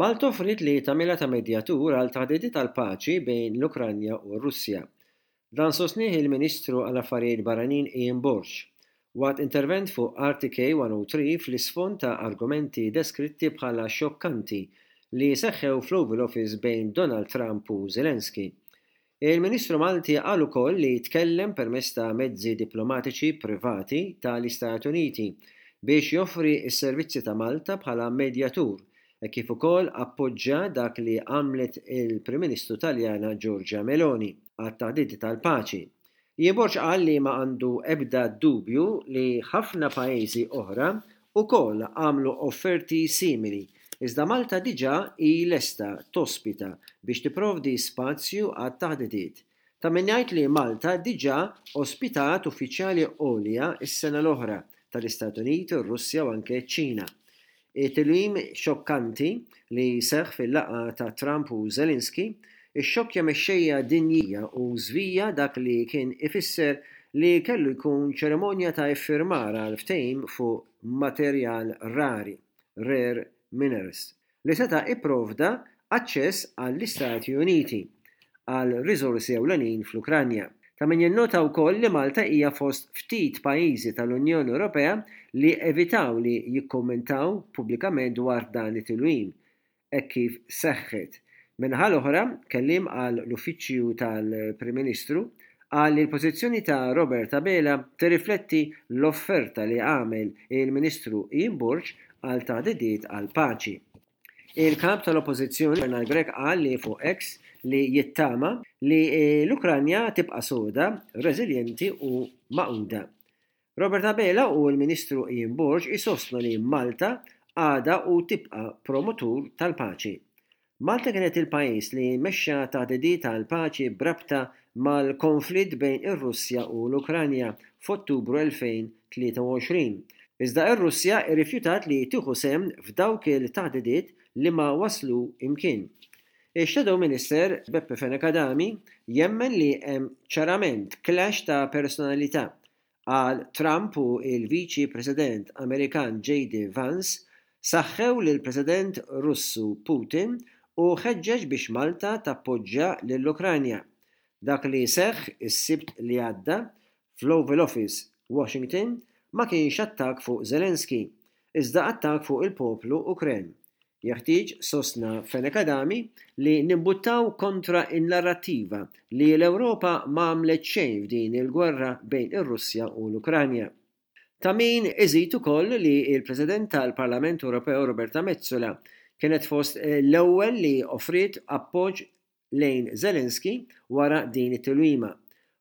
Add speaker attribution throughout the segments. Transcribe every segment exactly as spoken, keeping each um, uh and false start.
Speaker 1: Malta offriet li tagħmilha ta' medjatur għal taħdidiet tal-paċi bejn l-Ukranja u r-Russja. Dan sostnieh il-Ministru għall-Affarijiet Barranin Ian Borg waqt intervent fuq R T K one oh three fl-isfond ta' argumenti deskritti bħala xokkanti li seħħew fl-Oval Office bejn Donald Trump u Zelensky. Il-Ministru Malti qal ukoll li tkellem permezz ta' mezzi diplomatiċi privati tal-Istati Uniti biex joffri s-servizzi ta' Malta bħala medjatur e kif ukoll appoġġja dak li għamlet il-Prim Ministru Taljana Giorgia Meloni għat-taħdidi tal-paċi. Ian Borg qal li ma għandu ebda dubju li ħafna pajjiżi oħra ukoll għamlu offerti simili, iżda Malta diġà hi lesta tospita biex tipprovdi spazju għat-taħdidiet. Ta' min jgħid li Malta diġà ospitat uffiċjali għolja s-sena l-oħra tal-Istati Uniti, r-Russja u anke ċ-Ċina. It-tilwim xokkanti li seħħ fil-laqgħa ta' Trump u Zelensky ixxokkja mexxejja dinjija u żvija dak li kien ifisser li kellu jkun ċerimonja ta' iffirmar għal ftehim fuq materjal rari, rare minerals, li seta' ipprovda aċċess għall-Istati Uniti għal riżorsi ewlenin fl-Ukranja. Ta' min jinnota wkoll li Malta hija fost ftit pajjiżi tal-Unjoni Ewropea li evitaw li jikkommentaw pubblikament dwar dan it-tilwim hekk kif seħħet. Min-naħa l-oħra, kelliem għall-Uffiċċju tal-Prim Ministru qal li l-pożizzjoni ta' Robert Abela tirrifletti l-offerta li għamel il-Ministru Ian Borg għal taħdidiet għal paċi. Il-kap tal-Oppożizzjoni Bernard Grech qal li fuq X li jittama li l-Ukranja tibqa' soda, reżiljenti u magħquda. Robert Abela u l-Ministru Ian Borg isostnu li Malta għada u tibqa' promotur tal-paċi. Malta kienet il-pajjiż li mexxa taħdidiet tal-paċi b'rabta mal-konflitt bejn ir-Russja u l-Ukranja f'Ottubru elfejn u tlieta u għoxrin. Iżda ir-Russja rrifjutat li tieħu sehem f'dawk il-taħdidiet li ma waslu imkien. Ix-Shadow Minister Beppe Fenech Adami jemmen li hemm ċarament clash ta' personalità għal Trump u il-Viċi President Amerikan J D. Vance saħħew lil President Russu Putin u ħeġġeġ biex Malta tappoġġja lill-Ukranja. Dak li seħħ is-Sibt li għadda fl-Oval Office, Washington, ma kienx attak fuq Zelensky, iżda attak fuq il-poplu Ukren. Jeħtieġ, sostna Fenech Adami, li nimbuttaw kontra in-narrattiva li l-Ewropa ma għamlet xejn f'din il-gwerra bejn ir-Russja u l-Ukranja. Ta' min iżid ukoll li il-President tal-Parlament Ewropew Roberta Metsola kienet fost l-ewwel li offriet appoġġ lejn Zelensky wara din it-tilwima.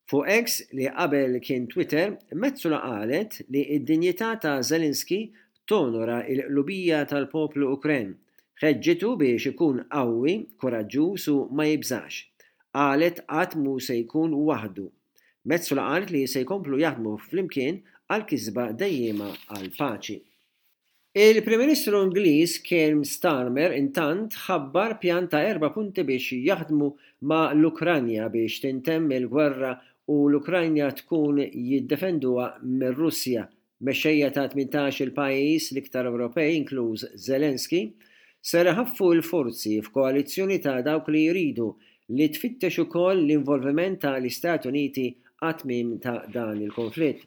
Speaker 1: Fuq X, li qabel kien Twitter, Metsola qalet li id-dinjità ta' Zelensky tonora il-qlubija tal-poplu Ukren. Ħeġġitu biex ikun qawwi, koraġġuż u ma jibżax. Qalet qatt mu se jkun waħdu. Metsola qalet li se jkomplu jaħdmu flimkien għal kisba dejjema għal paċi. Il-Prim Ministru Ingliż Keir Starmer intant ħabbar pjan ta' erba' punti biex jaħdmu ma' l-Ukranja biex tintemm il-gwerra u l-Ukranja tkun jiddefenduha mir-Russja. Mexxejja ta' tmintax il pajjiż, l-iktar Ewropej, inkluż Zelensky, ser iħaffu l-forzi f'koalizzjoni ta' dawk li jridu li tfittex ukoll l-involviment tal-Istati Uniti għat-tmiem ta' dan il-konflitt.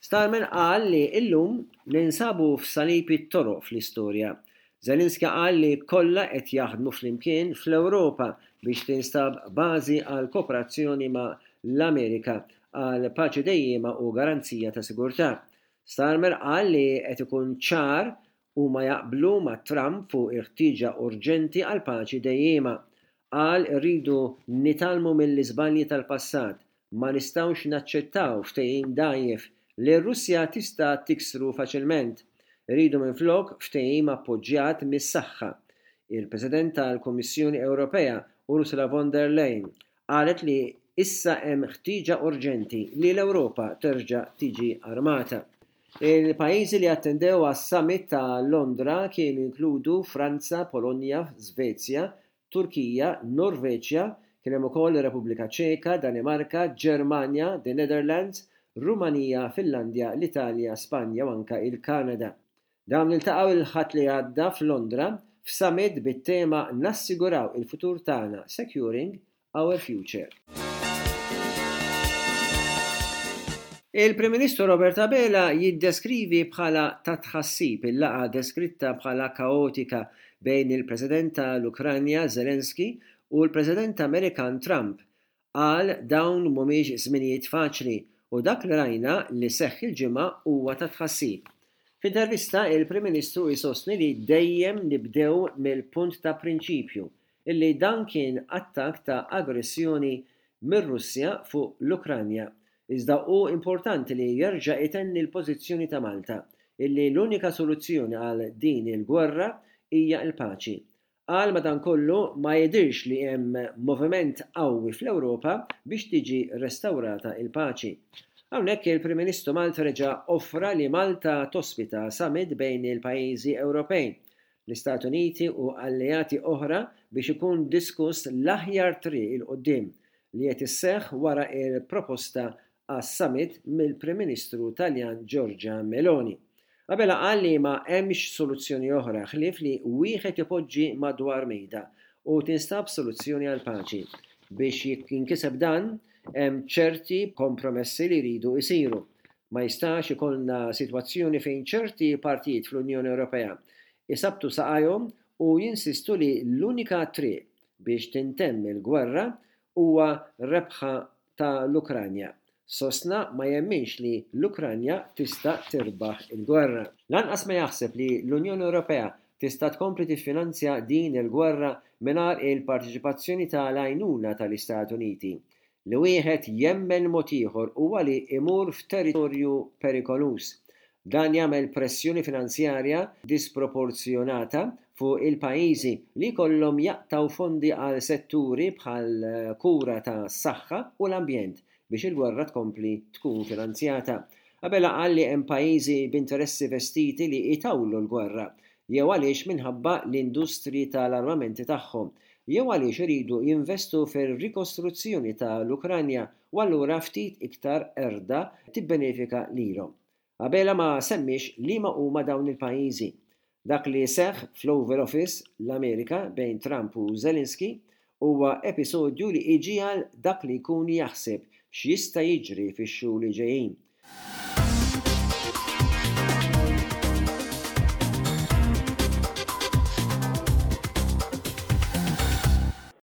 Speaker 1: Starmer qal li illum ninsabu f'salib it-toroq fl-istorja. Zelensky qal li kollha qed jaħdmu flimkien fl-Ewropa biex tinstab bażi għal kooperazzjoni ma' l-Amerika għal paċi dejjema u garanzija ta' sigurtà. Starmer qal li qed ikun ċar u ma jaqblu ma' Trump fuq il-ħtieġa urġenti għal paċi dejjema. Qal irridu nitgħallmu mill-iżbalji tal-passat, ma nistgħux naċċettaw ftehim dgħajjef li r-Russja tista' tiksru faċilment. Irridu minflok ftehim appoġġjat mis-saħħa. Il-President tal-Kummissjoni Ewropea Ursula von der Leyen qalet li issa hemm ħtieġa urġenti li l-Ewropa terġa' tiġi armata. Il-pajjiżi li attendew għas-summit ta' Londra kienu inkludu Franza, Polonja, Svezja, Turkija, Norveġja, kien hemm ukoll ir-Repubblika Ċeka, Danimarka, Ġermanja, the Netherlands, Rumanija, Finlandja, l-Italja, Spanja u anka il-Kanada. Dawn iltaqgħu il-Ħadd li għadda f'Londra f'summit bit-tema "Nassiguraw il-futur tagħna", Securing Our Future. Il-Prim Ministru Robert Abela jiddeskrivi bħala ta' tħassib il-laqgħa deskritta bħala kaotika bejn il-President tal-Ukranja Zelensky u l-President Amerikan Trump. Qal dawn mhumiex żminijiet faċli u dak li rajna li seħħ il-Ġimgħa huwa ta' tħassib. F'intervista, il-Prim Ministru jsostni li dejjem nibdew mill-punt ta' prinċipju illi dan kien attakk ta' aggressjoni mir-Russja fuq l-Ukranja. Iżda hu importanti li jerġa' itenni l-pożizzjoni ta' Malta illi l-unika soluzzjoni għal din il-gwerra hija l-paċi. Qal madankollu ma jidhirx li hemm moviment qawwi fl-Ewropa biex tiġi restawrata l-paċi. Hawnhekk il-Prim Ministru Malti reġa' offra li Malta tospita summit bejn il-pajjiżi Ewropej, l-Istati Uniti u alleati oħra biex ikun diskuss l-aħjar triq 'il quddiem li qed isseħħ wara l-proposta għas-summit mill-Prim Ministru Taljan Giorgia Meloni. Abela qal li ma hemmx soluzzjoni oħra ħlief li wieħed ipoġġi madwar mejda u tinstab soluzzjoni għall-paċi. Biex jinkiseb dan, hemm ċerti kompromessi li jridu jsiru. Ma jistax ikollna sitwazzjoni fejn ċerti partijiet fl-Unjoni Ewropea isabbtu saqajhom u jinsistu li l-unika triq biex tintemm il-gwerra huwa rebħa ta' l-Ukranja. Sostna ma jemminx li l-Ukranja tista' tirbaħ il-gwerra. Lanqas ma jaħseb li l-Unjoni Ewropea tista' tkompli tiffinanzja din il-gwerra mingħajr il-parteċipazzjoni ta' l-għajnuna tal-Istati Uniti. Li wieħed jemmen mod ieħor huwa li jmur f'territorju perikoluż. Dan jagħmel pressjoni finanzjarja disproporzjonata fuq il-pajjiżi li jkollhom jaqtgħu fondi għal setturi bħall-kura tas-saħħa u l-ambjent biex il-gwerra tkompli tkun finanzjata. Abela qal li hemm pajjiżi b'interessi vestiti li jtawlu l-gwerra, jew għaliex minħabba l-industriji tal-armamenti tagħhom, jew għaliex iridu jinvestu fir-rikostruzzjoni tal-Ukranja u allura ftit iktar qerda tibbenefika lilhom. Abela ma semmiex liema huma dawn il-pajjiżi. Dak li seħħ fl-Oval Office, l-Amerika, bejn Trump u Zelensky huwa episodju li iġiegħel dak li jkun jaħseb x'jista' jiġri fix-xhur li ġejjin.